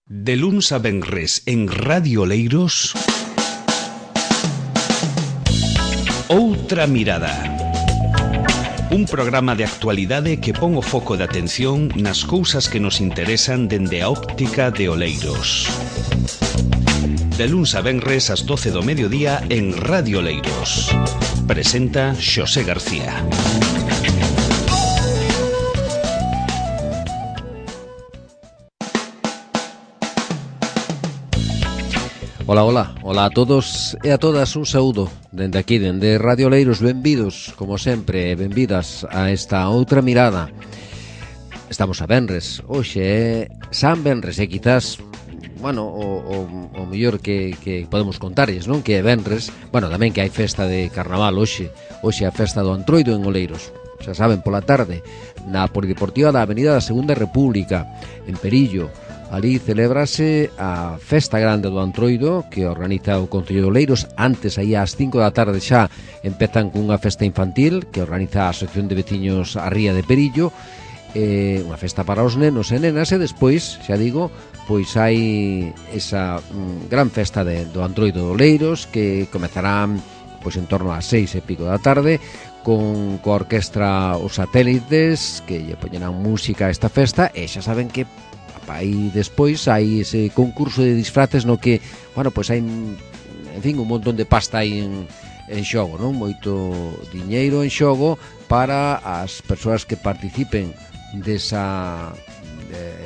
De luns a venres en Radio Oleiros, Outra Mirada. Un programa de actualidade que pon o foco de atención nas cousas que nos interesan dende a óptica de Oleiros. De luns a venres ás 12 do mediodía en Radio Oleiros. Presenta Xosé García. Ola a todos e a todas, un saúdo dende aquí, dende Radio Oleiros. Benvidos, como sempre, benvidas a esta outra mirada. Estamos a venres, hoxe é San Venres, e quizás, bueno, o mellor que podemos contarles, non? Que é venres, bueno, tamén que hai festa de carnaval hoxe é a festa do Antroido en Oleiros. Xa saben, pola tarde, na Polideportiva da Avenida da Segunda República, en Perillo. Ali celebrase a Festa Grande do Antroido, que organiza o Concello de Oleiros. Antes, aí ás 5 da tarde xa, empezan cunha festa infantil que organiza a Asociación de Veciños a Ría de Perillo, unha festa para os nenos e nenas, e despois, xa digo, pois hai esa gran festa do Antroido de Oleiros, que comezarán pois en torno ás 6 e pico da tarde, con coa orquestra Os Satélites, que lle poñerán música a esta festa. E xa saben que aí despois hai ese concurso de disfraces no que, bueno, pois hai, en fin, un montón de pasta aí en xogo, non? Moito diñeiro en xogo para as persoas que participen desa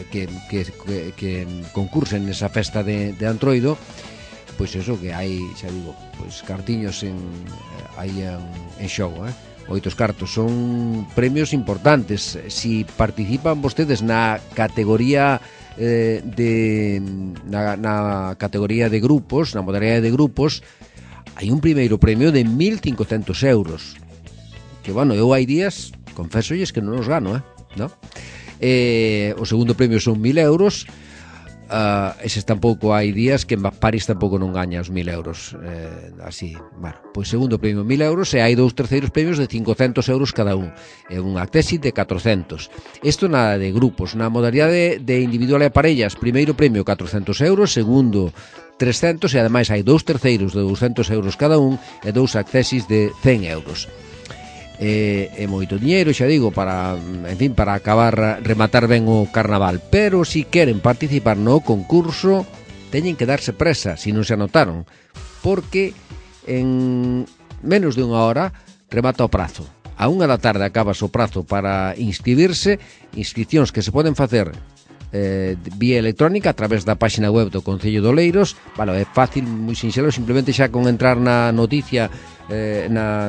que concursen nesa festa de Antroido. Pois eso, que hai, xa digo, pois cartiños aí en xogo, Oitos cartos, son premios importantes. Si participan vostedes na categoría na categoría de grupos, na modalidade de grupos, hai un primeiro premio de 1.500 euros. Que, bueno, eu hai días, confesolles que non os gano, ¿no? O segundo premio son 1.000 euros. Eses tampouco hai días que en París tampouco non gaña os 1.000 euros, así, bueno, pois segundo premio 1.000 euros, e hai dous terceiros premios de 500 euros cada un, e unha tesis de 400. Isto nada de grupos. Na modalidade de individual e parellas, primeiro premio 400 euros, segundo 300, e ademais hai dous terceiros de 200 euros cada un e dous accesis de 100 euros. É moito diñeiro, xa digo, para, en fin, para acabar, rematar ben o carnaval. Pero si queren participar no concurso, teñen que darse presa, si non se anotaron, porque en menos de unha hora remata o prazo. A 1 da tarde acaba o prazo para inscribirse, inscripcións que se poden facer vía electrónica a través da página web do Concello de Oleiros. Bueno, é fácil, moi sinxelo, simplemente xa con entrar na noticia, na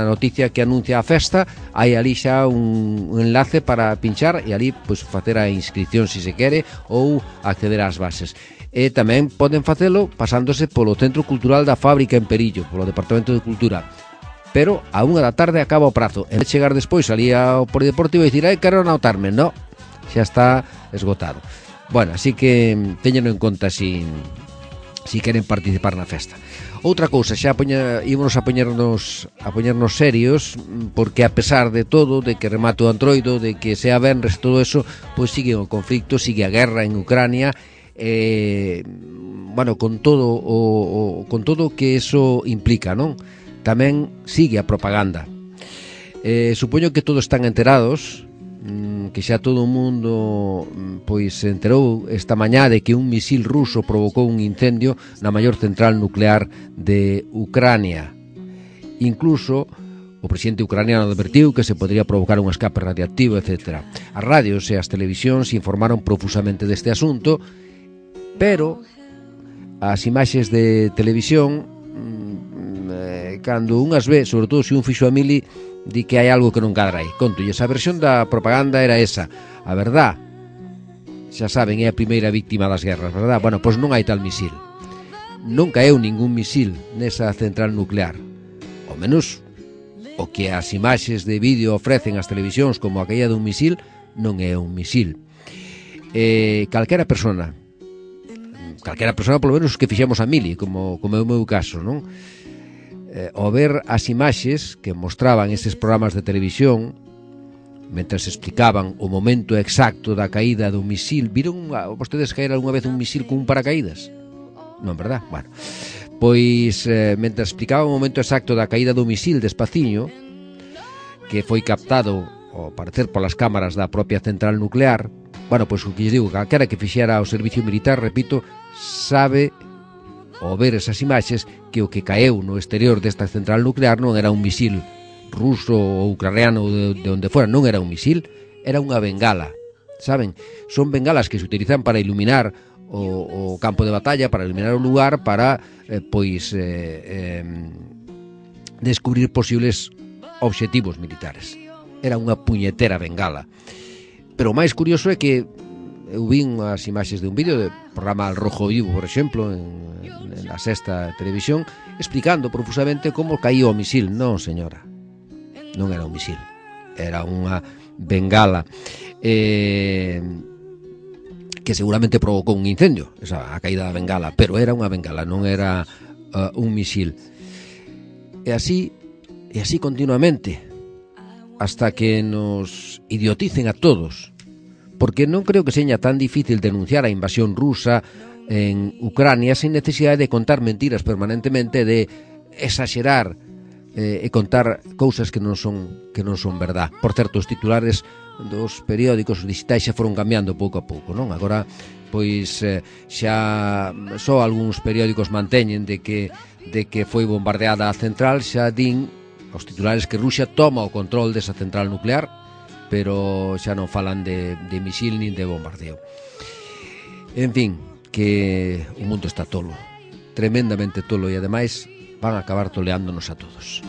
noticia que anuncia a festa, hai ali xa un enlace para pinchar e ali pois facer a inscripción se quere, ou acceder ás bases. E tamén poden facelo pasándose polo Centro Cultural da Fábrica en Perillo, polo Departamento de Cultura. Pero a 1 da tarde acaba o prazo. En vez de chegar despois ali ao Polideportivo e dicir, quero anotarme, no, xa está esgotado. Bueno, así que teñeno en conta si queren participar na festa. Outra cousa, xa ímonos a poñernos serios, porque a pesar de todo, de que remate o Antroido, de que sea venres, todo eso, pois sigue o conflicto, sigue a guerra en Ucrania, bueno, con todo o que eso implica, non? Tamén sigue a propaganda. Supoño que todos están enterados, que xa todo o mundo pois se enterou esta mañá de que un misil ruso provocou un incendio na maior central nuclear de Ucrania. Incluso o presidente ucraniano advertiu que se podría provocar un escape radiactivo, etc. As radios e as televisións informaron profusamente deste asunto, pero as imaxes de televisión, cando unhas ve, sobre todo se un fixo a mili, di que hai algo que non cadra aí. Conto, esa versión da propaganda era esa. A verdad, xa saben, é a primeira víctima das guerras, verdad? Bueno, pois non hai tal misil. Non caeu ningún misil nesa central nuclear. Ao menos o que as imaxes de vídeo ofrecen as televisións como a caída dun misil, non é un misil. Calquera persona, polo menos que fixemos a mili, como é o meu caso, non? Ao ver as imaxes que mostraban estes programas de televisión, mentras explicaban o momento exacto da caída do misil. Viron vostedes caer algunha vez un misil con un paracaídas? Non, verdad? Bueno, pois mentras explicaba o momento exacto da caída do misil despaciño, que foi captado ao parecer polas cámaras da propia central nuclear, bueno, pois o que lles digo, calquera que fixera o servicio militar, repito, sabe ao ver esas imaxes que o que caeu no exterior desta central nuclear non era un misil ruso ou ucraniano de onde fora, non era un misil, era unha bengala, saben? Son bengalas que se utilizan para iluminar o campo de batalla, para iluminar o lugar, para descubrir posibles obxectivos militares. Era unha puñetera bengala. Pero o máis curioso é que eu vin as imaxes de un vídeo do programa Al Rojo Vivo, por exemplo, en la Sexta Televisión, explicando profusamente como caía o misil. Non, señora, non era un misil, era unha bengala que seguramente provocou un incendio, a caída da bengala, pero era unha bengala, non era un misil. E así continuamente, hasta que nos idioticen a todos, porque non creo que seña tan difícil denunciar a invasión rusa en Ucrania sin necesidade de contar mentiras permanentemente, de exagerar e contar cousas que non son verdad. Por certo, os titulares dos periódicos digitais xa foron cambiando pouco a pouco, non? Agora, pois, xa só algúns periódicos manteñen de que foi bombardeada a central, xa din os titulares que Rusia toma o control desa central nuclear, pero xa non falan de misil nin de bombardeo. En fin, que o mundo está tolo, tremendamente tolo, e ademais van a acabar toleándonos a todos.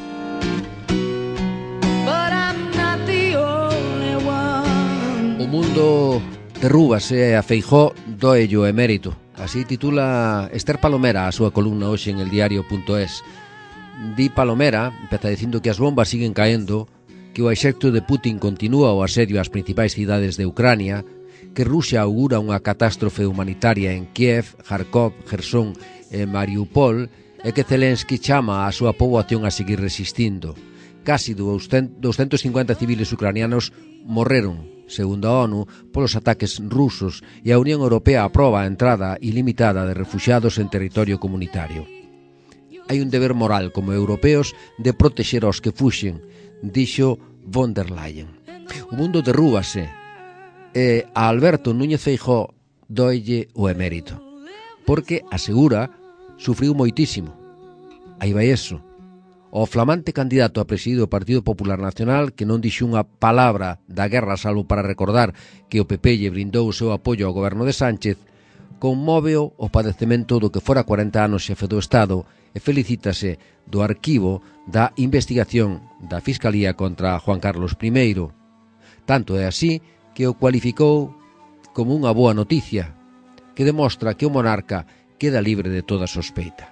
O mundo derrúbase, a Feijóo doello emérito. Así titula Esther Palomera a súa columna hoxe en eldiario.es. Di Palomera, empeza dicindo que as bombas siguen caendo, que o exército de Putin continúa o asedio ás principais cidades de Ucrania, que Rusia augura unha catástrofe humanitaria en Kiev, Kharkov, Jersón e Mariupol, e que Zelensky chama a súa poboación a seguir resistindo. Casi 250 civiles ucranianos morreron, segundo a ONU, polos ataques rusos, e a Unión Europea aproba a entrada ilimitada de refuxiados en territorio comunitario. Hai un deber moral como europeos de protexer aos que fuxen, dixo von der Leyen. O mundo derrúbase e a Alberto Núñez Feijóo doelle o emérito, porque, asegura, sufriu moitísimo. Aí vai eso. O flamante candidato a presidir o Partido Popular Nacional, que non dixo unha palabra da guerra salvo para recordar que o PP lle brindou o seu apoio ao goberno de Sánchez, conmóveo o padecemento do que fora 40 anos xefe do Estado e felicítase do arquivo da investigación da Fiscalía contra Juan Carlos I. Tanto é así que o cualificou como unha boa noticia, que demostra que o monarca queda libre de toda sospeita.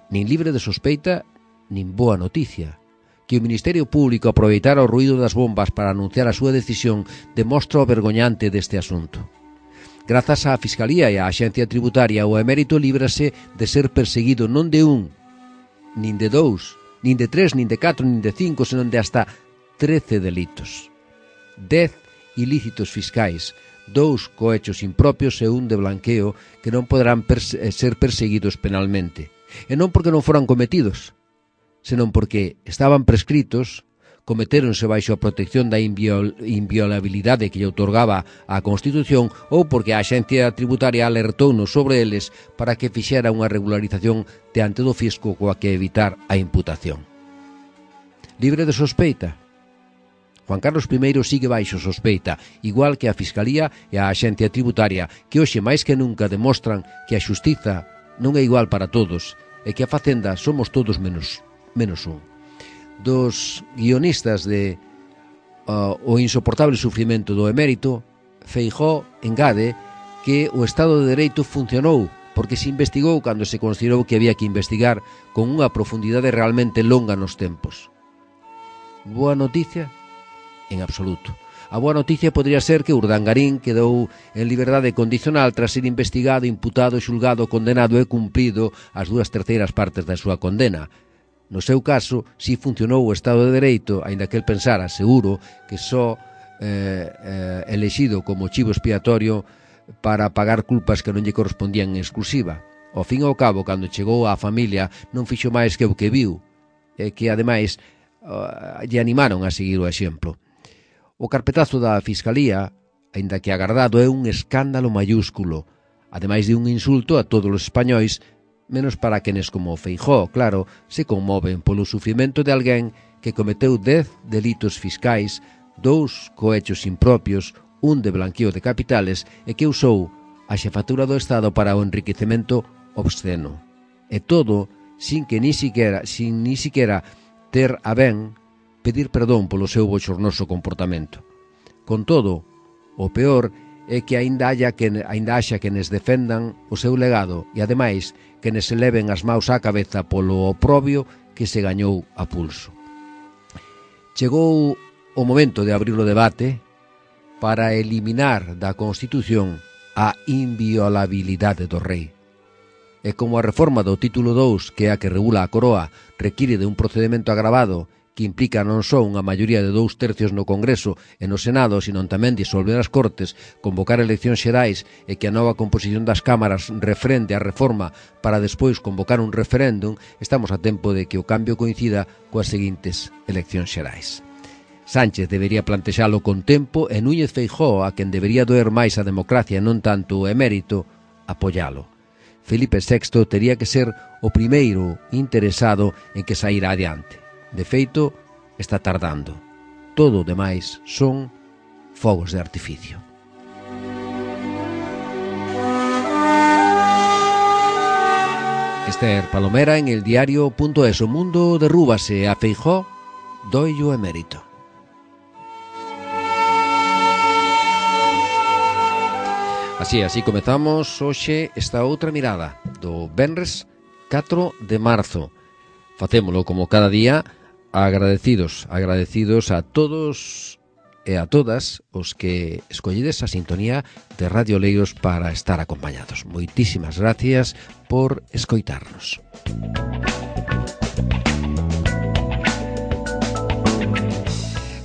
Nin libre de sospeita, nin boa noticia. Que o Ministerio Público aproveitara o ruído das bombas para anunciar a súa decisión demostra o vergoñante deste asunto. Grazas á Fiscalía e á Axencia Tributaria, o emérito líbrase de ser perseguido non de un, nin de dous, nin de tres, nin de catro, nin de cinco, senón de hasta 13 delitos. 10 ilícitos fiscais, 2 cohechos impropios e un de blanqueo que non poderán ser perseguidos penalmente. E non porque non foran cometidos, senón porque estaban prescritos, cometéronse baixo a protección da inviolabilidade que lle outorgaba a Constitución, ou porque a Axencia Tributaria alertounos sobre eles para que fixera unha regularización diante do fisco coa que evitar a imputación. Libre de sospeita? Juan Carlos I sigue baixo sospeita, igual que a Fiscalía e a Axencia Tributaria, que hoxe máis que nunca demostran que a xustiza non é igual para todos e que a Facenda somos todos menos un. Dos guionistas de O insoportable sufrimento do emérito, Feijóo engade que o Estado de Dereito funcionou porque se investigou cando se considerou que había que investigar con unha profundidade realmente longa nos tempos. Boa noticia? En absoluto. A boa noticia podría ser que Urdangarín quedou en liberdade condicional tras ser investigado, imputado, xulgado, condenado e cumprido as 2/3 partes da súa condena. No seu caso, si funcionou o Estado de Dereito, aínda que el pensara, seguro, que só elexido como chivo expiatorio para pagar culpas que non lle correspondían en exclusiva. Ao fin e ao cabo, cando chegou á familia, non fixo máis que o que viu, e que, ademais, lle animaron a seguir o exemplo. O carpetazo da Fiscalía, aínda que agardado, é un escándalo mayúsculo, ademais de un insulto a todos os españois, menos para quenes como Feijóo, claro, se conmoven polo sufrimento de alguén que cometeu 10 delitos fiscais, 2 cohechos impropios, un de blanqueo de capitales e que usou a xefatura do Estado para o enriquecemento obsceno. E todo sin ni siquiera ter a ben pedir perdón polo seu bochornoso comportamento. Con todo, o peor é que aínda haxa quenes defendan o seu legado e, ademais, quenes se leven as maus á cabeza polo oprobio que se gañou a pulso. Chegou o momento de abrir o debate para eliminar da Constitución a inviolabilidade do rei. E como a reforma do título 2, que é a que regula a coroa, require de un procedimento agravado que implica non só unha maioría de 2/3 no Congreso e no Senado, sino tamén disolver as Cortes, convocar eleccións xerais e que a nova composición das cámaras refrende a reforma para despois convocar un referéndum, estamos a tempo de que o cambio coincida coas seguintes eleccións xerais. Sánchez debería plantexalo con tempo e Núñez Feijóo, a quen debería doer máis a democracia e non tanto o emérito, apoialo. Felipe VI tería que ser o primeiro interesado en que saíra adiante. De feito, está tardando. Todo o demais son fogos de artificio. Esther Palomera en el diario.es. O mundo derrúbase, a Feijóo doille o emérito. Así comezamos hoxe esta outra mirada do venres 4 de marzo. Facémolo como cada día, agradecidos a todos e a todas os que escolledes a sintonía de Radio Oleiros para estar acompañados. Moitísimas gracias por escoitarnos.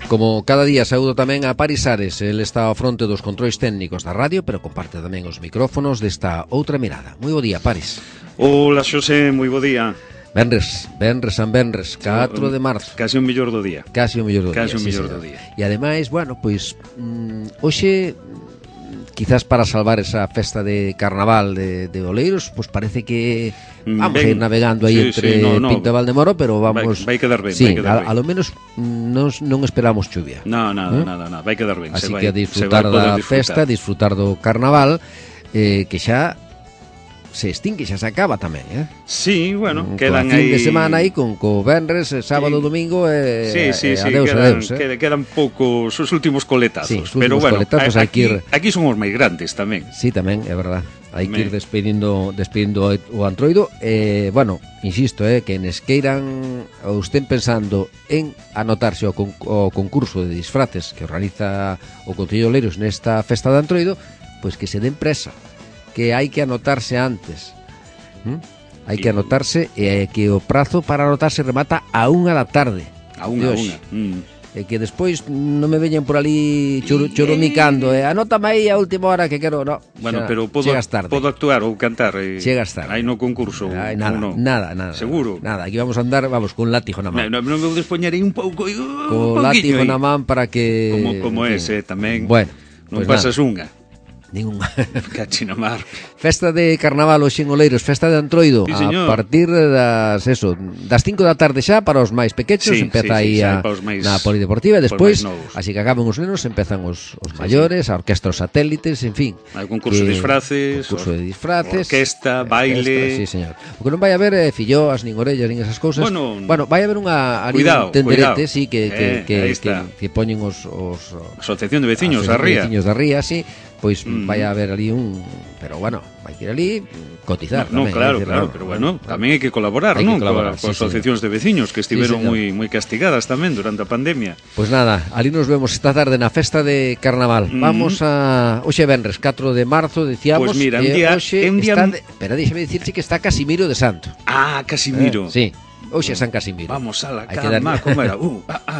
Como cada día, saúdo tamén a Paris Ares. El está ao fronte dos controis técnicos da radio, pero comparte tamén os micrófonos desta outra mirada. Moi bo día, Paris. Hola, Xosé, moi bo día. Venres, 4 de marzo. Casi o mellor do día. Casi o mellor do día. E ademais, bueno, pois hoxe, quizás para salvar esa festa de carnaval de Oleiros, pois parece que vamos a ir navegando aí entre Pinto e Valdemoro, pero vamos... Vai quedar ben, sí, a lo menos non esperamos chuvia. Nada, vai quedar ben. Así que a disfrutar da festa, disfrutar do carnaval, que xa se extingue, xa se acaba tamén, Sí, bueno, quedan aí... fin de aí... semana aí con venres, sábado, domingo adeus. Quedan poucos os últimos coletazos. Sí, pero bueno, coletazos aquí son os máis grandes tamén. Sí, tamén, é verdad. Hai que ir despedindo o Antroido. Bueno, insisto, que nes queiran ou estén pensando en anotarse ao concurso de disfraces que organiza o Concello de Oleiros nesta festa de Antroido, pois que se den presa, que hai que anotarse antes. Hai que anotarse e que o prazo para anotarse remata a 1 da tarde. A 1. E que despois non me veñen por ali choromicando, anótame aí a última hora que quero, no. Bueno, pero podo actuar ou cantar chegas tarde. Aí no concurso. Nada. Seguro. Nada, aquí vamos a andar, con látigo na man. Non me despoñarei un pouco. Con látigo na man para que... Como ese tamén. Bueno, non pasas unha. Ninguna. Cachina mar. Festa de carnaval hoxe en Oleiros, festa de Antroido, sí, a partir das 5 da tarde xa para os máis pequechos, empeza aí na polideportiva e despois, así que acaban os nenos, empezan os maiores, a orquestra, os satélites, en fin. Hai concurso de disfraces, orquesta, baile. Sí, señor. O que non vai haber filloas, nin orellas, nin esas cousas. Bueno, vai haber unha tenderete, sí, que poñen os Asociación de Veciños da Ría. Veciños da Ría, sí. Pois vai a haber ali pero bueno, vai que ir ali cotizar tamén. Claro, pero bueno, tamén hai que colaborar, non? Coas asociacións de veciños que estiveron moi castigadas tamén durante a pandemia. Pois nada, ali nos vemos esta tarde na festa de carnaval. Vamos a hoxe venres 4 de marzo, dicíamos. Pois mira, un día espera, déxame dicirche que está Casimiro de Santo. Ah, Casimiro. Sí. Hoxe San Casimiro. Vamos a la cama, como era?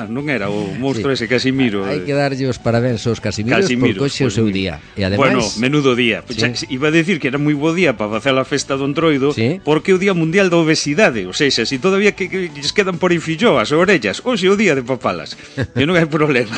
Non era o monstro ese Casimiro. Hai que darlle os parabéns aos Casimiros porque hoxe é o seu día. E ademais, bueno, menudo día. Sí. Iba a decir que era moi bo día para facer a festa do Entroido, sí, porque é o Día Mundial da Obesidade. O sea, se todavía que lles quedan por infillo as orellas, hoxe é o día de papalas. E non hai problema.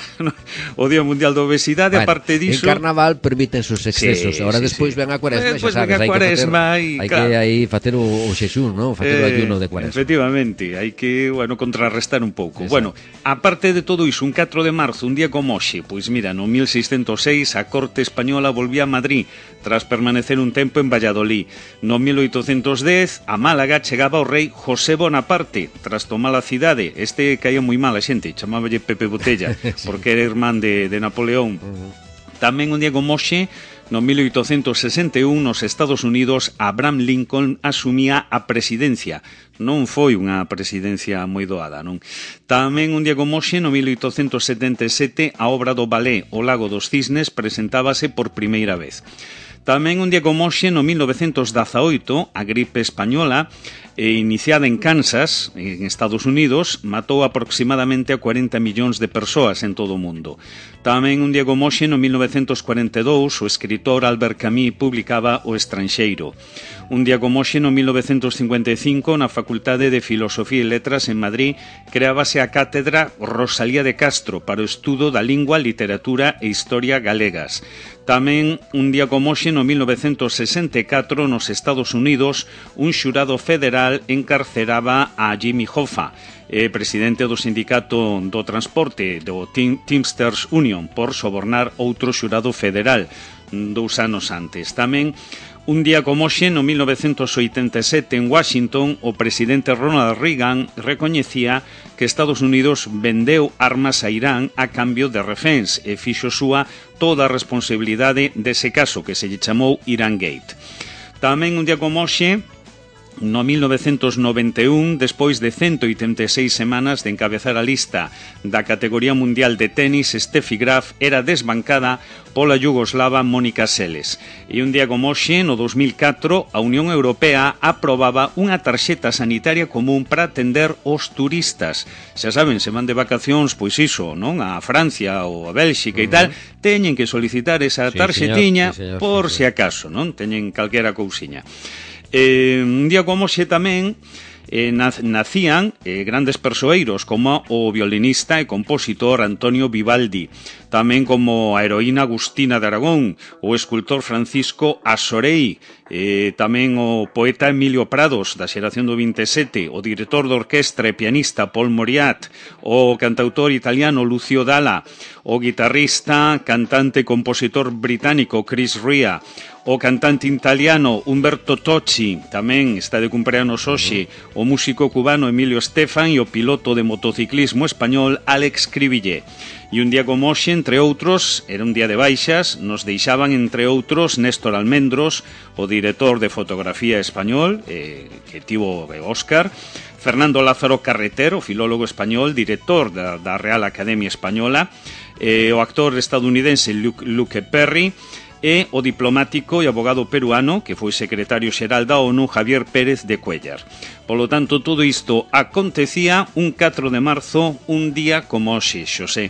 O Día Mundial da Obesidade, bueno, aparte diso... En Carnaval permiten os excesos. Sí, agora despois ven a Cuaresma, xa sabes, hai que aí facer o xexún, non? Facer o ayuno de Cuaresma. Efectivamente, hai que, bueno, contrarrestar un pouco. Exacto. Bueno, aparte de todo iso, un 4 de marzo, un día como hoxe, pois mira, no 1606 a Corte Española volvía a Madrid tras permanecer un tempo en Valladolid. No 1810 a Málaga chegaba o rei José Bonaparte tras tomar a cidade. Este caía moi mal a xente, chamáballe Pepe Botella, sí, porque era irmán de Napoleón. Tamén un día como hoxe, no 1861, nos Estados Unidos, Abraham Lincoln asumía a presidencia. Non foi unha presidencia moi doada, non? Tamén un día como hoxe, no 1877, a obra do ballet O Lago dos Cisnes presentábase por primeira vez. Tamén un día como hoxe, no 1918, a gripe española, iniciada en Kansas, en Estados Unidos, matou aproximadamente a 40 millóns de persoas en todo o mundo. Tamén un día como hoxe, no 1942, o escritor Albert Camus publicaba O Estranxeiro. Un día como hoxe, no 1955, na Facultade de Filosofía e Letras en Madrid, creábase a cátedra Rosalía de Castro para o estudo da lingua, literatura e historia galegas. Tamén un día como hoxe, no 1964, nos Estados Unidos, un xurado federal encarceraba a Jimmy Hoffa, presidente do sindicato do transporte do Teamsters Union, por sobornar outro xurado federal 2 anos antes. Tamén un día como hoxe, no 1987, en Washington, o presidente Ronald Reagan recoñecía que Estados Unidos vendeu armas a Irán a cambio de reféns e fixo súa toda a responsabilidade dese caso que se lle chamou Iran Gate. Tamén un día como hoxe, no 1991, despois de 186 semanas de encabezar a lista da categoría mundial de tenis, Steffi Graf era desbancada pola yugoslava Mónica Seles. E un día como hoxe, no 2004, a Unión Europea aprobaba unha tarxeta sanitaria común para atender os turistas. Xa saben, se van de vacacións, pois iso, non? A Francia ou a Bélxica e tal, teñen que solicitar esa tarxetiña, sí, señor, por si acaso, non? Teñen calquera cousiña. Un día como hoxe tamén nacían grandes persoeiros como o violinista e compositor Antonio Vivaldi, tamén como a heroína Agustina de Aragón, o escultor Francisco Asorei, tamén o poeta Emilio Prados, da xeración do 27, o director de orquestra e pianista Paul Moriat, o cantautor italiano Lucio Dalla, o guitarrista, cantante e compositor británico Chris Rea, o cantante italiano Umberto Tocci, tamén está de cumpleanos hoxe, o músico cubano Emilio Estefan e o piloto de motociclismo español Alex Cribillé. E un día como hoxe, entre outros, era un día de baixas, nos deixaban, entre outros, Néstor Almendros, o director de fotografía español, que tivo Óscar, Fernando Lázaro Carreter, o filólogo español, director da Real Academia Española, o actor estadounidense Luke Perry, e o diplomático e abogado peruano, que foi secretario xeral da ONU, Javier Pérez de Cuellar. Polo tanto, todo isto acontecía un 4 de marzo, un día como hoxe, Xosé.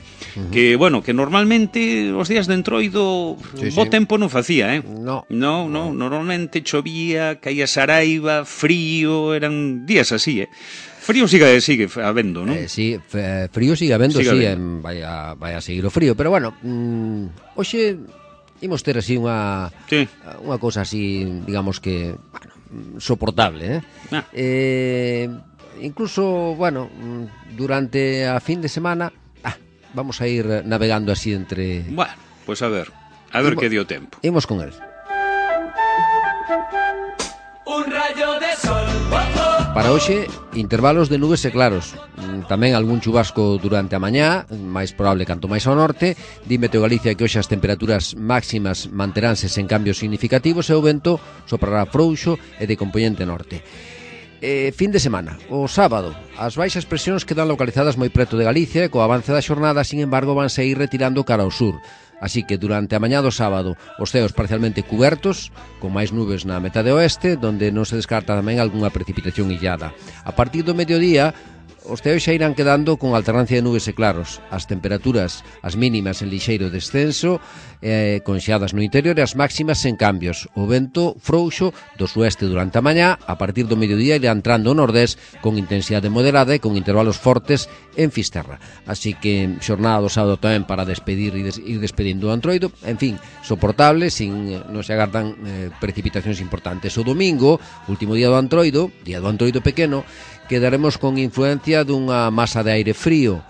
Que, bueno, que normalmente os días de Entroido bo tempo non facía, No, normalmente chovía, caía saraiva, frío, eran días así, Frío sigue habendo, non? Sí, frío sigue habendo, vai a seguir o frío, pero bueno, hoxe imos ter así unha cousa así, digamos que, bueno, soportable, incluso, bueno, durante a fin de semana vamos a ir navegando así entre... Bueno, pues a ver que dio tempo. Imos con él. Un rayo de sol. Para hoxe, intervalos de nubes e claros. Tamén algún chubasco durante a mañá, máis probable canto máis ao norte. Dime Teo Galicia que hoxe as temperaturas máximas manteránse sen cambios significativos e o vento soprará frouxo e de compoñente norte. Fin de semana, o sábado, as baixas presións quedan localizadas moi preto de Galicia e co avance da xornada, sin embargo, van ir retirando cara ao sur. Así que durante a mañá do sábado os ceos parcialmente cubertos, con máis nubes na metade oeste, donde non se descarta tamén algunha precipitación illada. A partir do mediodía, os ceos xa irán quedando con alternancia de nubes e claros. As temperaturas, as mínimas en lixeiro descenso, con xeadas no interior e as máximas sen cambios. O vento frouxo do sueste durante a mañá, a partir do mediodía irá entrando o nordés con intensidade moderada e con intervalos fortes en Fisterra. Así que xornada do sábado tamén para despedir e ir despedindo o Antroido, en fin, soportable, non se agardan precipitacións importantes. O domingo, último día do Antroido pequeno, quedaremos con influencia dunha masa de aire frío.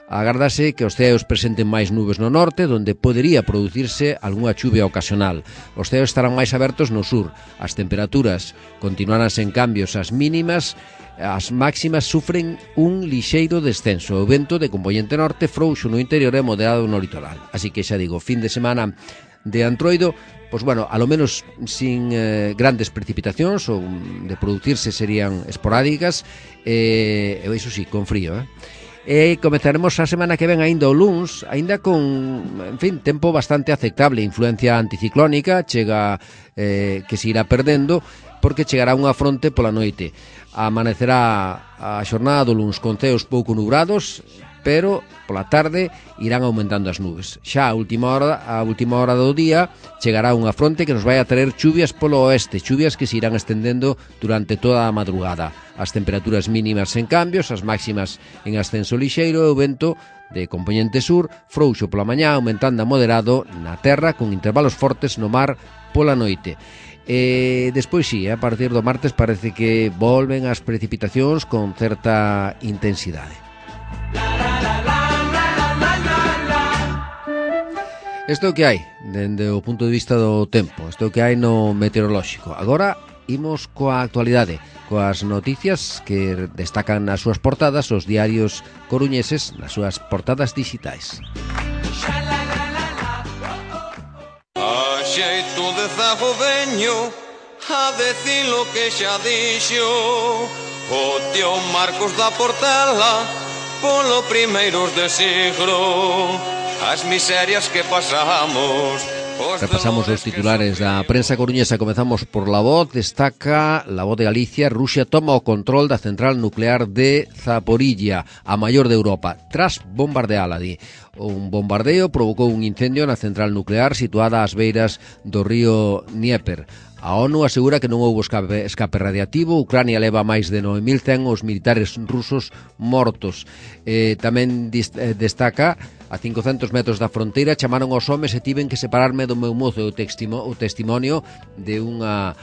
Agardase que os ceos presenten máis nubes no norte, donde podería producirse algunha chuvia ocasional. Os ceos estarán máis abertos no sur. As temperaturas continuarán sen cambios. As mínimas, as máximas sufren un lixeiro descenso. O vento de componente norte frouxo no interior e moderado no litoral. Así que xa digo, fin de semana de Antroido, pois bueno, a lo menos sin grandes precipitacións, ou de producirse serían esporádicas, e iso sí, con frío, E comezaremos a semana que ven aínda o luns, aínda con, en fin, tempo bastante aceptable, influencia anticiclónica, chega que se irá perdendo, porque chegará unha fronte pola noite. Amanecerá a xornada do luns con ceos pouco nubrados, pero pola tarde irán aumentando as nubes. Xa a última hora do día chegará unha fronte que nos vai a traer chuvias polo oeste, chuvias que se irán estendendo durante toda a madrugada. As temperaturas mínimas sen cambios, as máximas en ascenso lixeiro e o vento de componente sur frouxo pola mañá, aumentando a moderado na terra con intervalos fortes no mar pola noite. Despois sí, a partir do martes parece que volven as precipitacións con certa intensidade. Isto é o que hai dende o punto de vista do tempo, isto é o que hai no meteorolóxico. Agora imos coa actualidade, coas noticias que destacan nas súas portadas os diarios coruñeses nas súas portadas digitais. A xeito de zago veño a decir lo que xa dixo o tío Marcos da Portela polo primeiros de siglo. As miserias que pasamos. Repasamos os titulares da prensa coruñesa. Comezamos por La Voz. Destaca La Voz de Galicia: Rusia toma o control da central nuclear de Zaporilla, a maior de Europa, tras bombardeala. Un bombardeo provocou un incendio na central nuclear situada ás beiras do río Dnieper. A ONU asegura que non houbo escape radiativo. Ucrania leva máis de 9.100 os militares rusos mortos. Tamén destaca: a 500 metros da fronteira chamaron aos homes e tiven que separarme do meu mozo. O testimonio de unha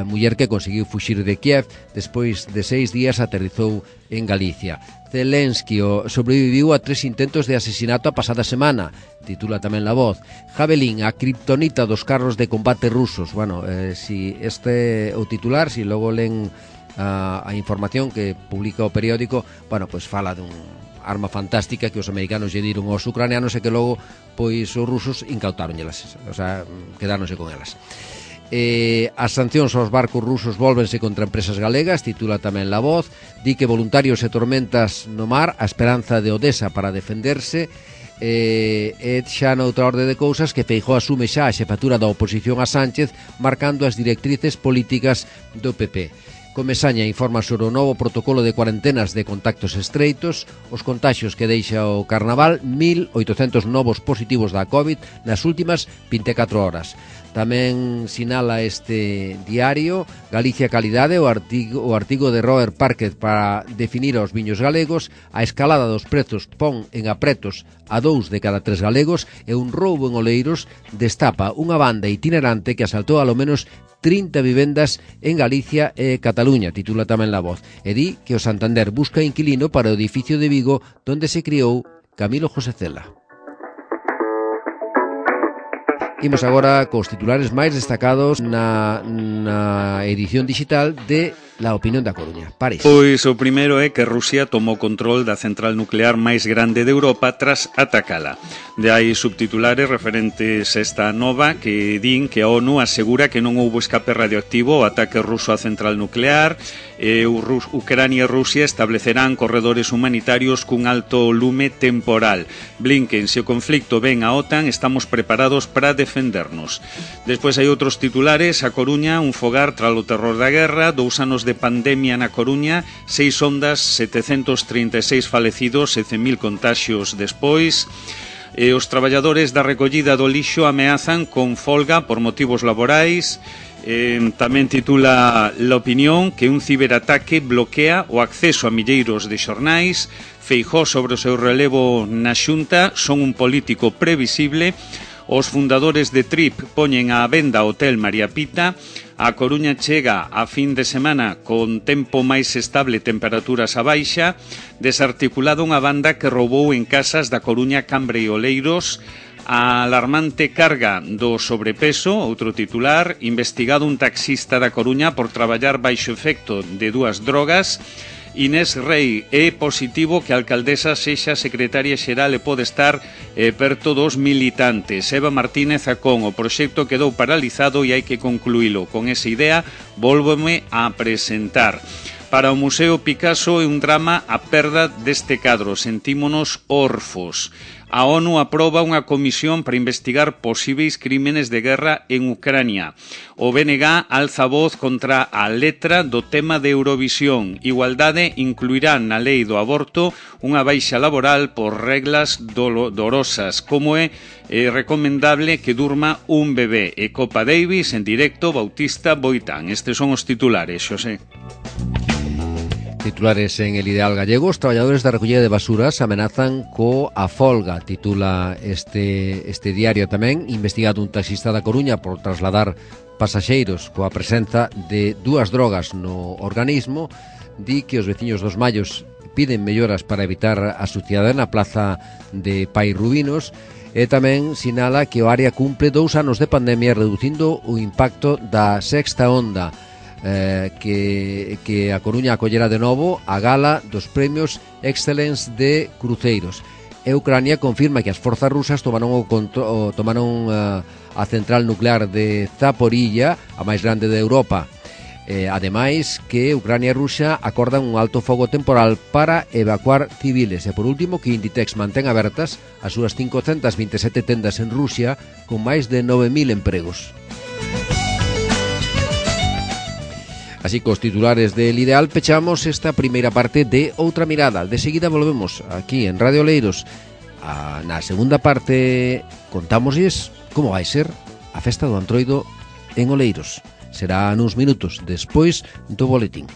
muller que conseguiu fuxir de Kiev despois de 6 días aterrizou en Galicia. Zelensky sobreviviu a 3 intentos de asesinato a pasada semana, titula tamén La Voz. Javelin, a kriptonita dos carros de combate rusos. Bueno, si este o titular, si logo len a información que publica o periódico, bueno, pues fala dun arma fantástica que os americanos lle diron aos ucranianos e que logo pois os rusos incautáronllelas, o sea, quedáronse con elas. As sancións aos barcos rusos volvense contra empresas galegas, titula tamén La Voz. Di que voluntarios e tormentas no mar, a esperanza de Odesa para defenderse. E xa noutra orde de cousas que Feijóo asume xa a xefatura da oposición a Sánchez, marcando as directrices políticas do PP. Comesaña informa sobre o novo protocolo de cuarentenas de contactos estreitos, os contaxios que deixa o carnaval, 1.800 novos positivos da COVID nas últimas 24 horas. Tamén sinala este diario Galicia Calidade, o artigo de Robert Parker para definir aos viños galegos. A escalada dos prezos pon en apretos a 2 de cada 3 galegos e un roubo en Oleiros destapa unha banda itinerante que asaltou alo menos 30 vivendas en Galicia e Cataluña, titula tamén La Voz. E di que o Santander busca inquilino para o edificio de Vigo donde se criou Camilo José Cela. Imos agora cos titulares máis destacados na edición digital de la opinión da Coruña. París. Pois o primeiro é que Rusia tomou control da central nuclear máis grande de Europa tras atacala. De aí subtitulares referentes a esta nova que din que a ONU asegura que non houbo escape radioactivo ao ataque ruso á central nuclear. Ucrania e Rusia establecerán corredores humanitarios cun alto lume temporal. Blinken, se o conflicto ven a OTAN, estamos preparados para defendernos. Despois hai outros titulares. A Coruña, un fogar tras o terror da guerra, 2 anos de pandemia na Coruña, 6 ondas, 736 falecidos e 100.000 contaxios despois. Os traballadores da recollida do lixo ameazan con folga por motivos laborais. Tamén titula La Opinión que un ciberataque bloquea o acceso a milleiros de xornais. Feijóo sobre o seu relevo na Xunta, son un político previsible. Os fundadores de Trip poñen á venda o Hotel María Pita. A Coruña chega a fin de semana con tempo máis estable, temperaturas a baixa. Desarticulada unha banda que roubou en casas da Coruña, Cambre e Oleiros. A alarmante carga do sobrepeso, outro titular. Investigado un taxista da Coruña por traballar baixo efecto de 2 drogas. Inés Rei, é positivo que a alcaldesa sexa secretaria xeral e pode estar perto dos militantes. Eva Martínez Acón, o proxecto quedou paralizado e hai que concluílo. Con esa idea, vólvome a presentar. Para o Museo Picasso é un drama a perda deste cadro. Sentímonos orfos. A ONU aproba unha comisión para investigar posíveis crímenes de guerra en Ucrania. O BNG alza voz contra a letra do tema de Eurovisión. Igualdade incluirá na lei do aborto unha baixa laboral por reglas dolorosas, como é recomendable que durma un bebé. E Copa Davis en directo, Bautista Boitán. Estes son os titulares, Xosé. Titulares en El Ideal gallego. Os traballadores da recollida de basuras amenazan coa folga, titula este diario tamén. Investigado un taxista da Coruña por trasladar pasaxeiros coa presenza de 2 drogas no organismo. Di que os veciños dos Mallos piden melloras para evitar a suciedade na plaza de Pai Rubinos. E tamén sinala que o área cumple 2 anos de pandemia reducindo o impacto da sexta onda. Que a Coruña acollera de novo a gala dos premios Excellence de Cruceiros. E Ucrania confirma que as forzas rusas tomaron a central nuclear de Zaporilla, a máis grande de Europa. Ademais que Ucrania e Rusia acordan un alto fogo temporal para evacuar civiles. E por último que Inditex mantén abertas as súas 527 tendas en Rusia con máis de 9.000 empregos. Así que os titulares del Ideal pechamos esta primeira parte de Outra Mirada. De seguida volvemos aquí en Radio Oleiros. Na segunda parte contámoslles como vai ser a festa do Antroido en Oleiros. Será nuns minutos despois do boletín.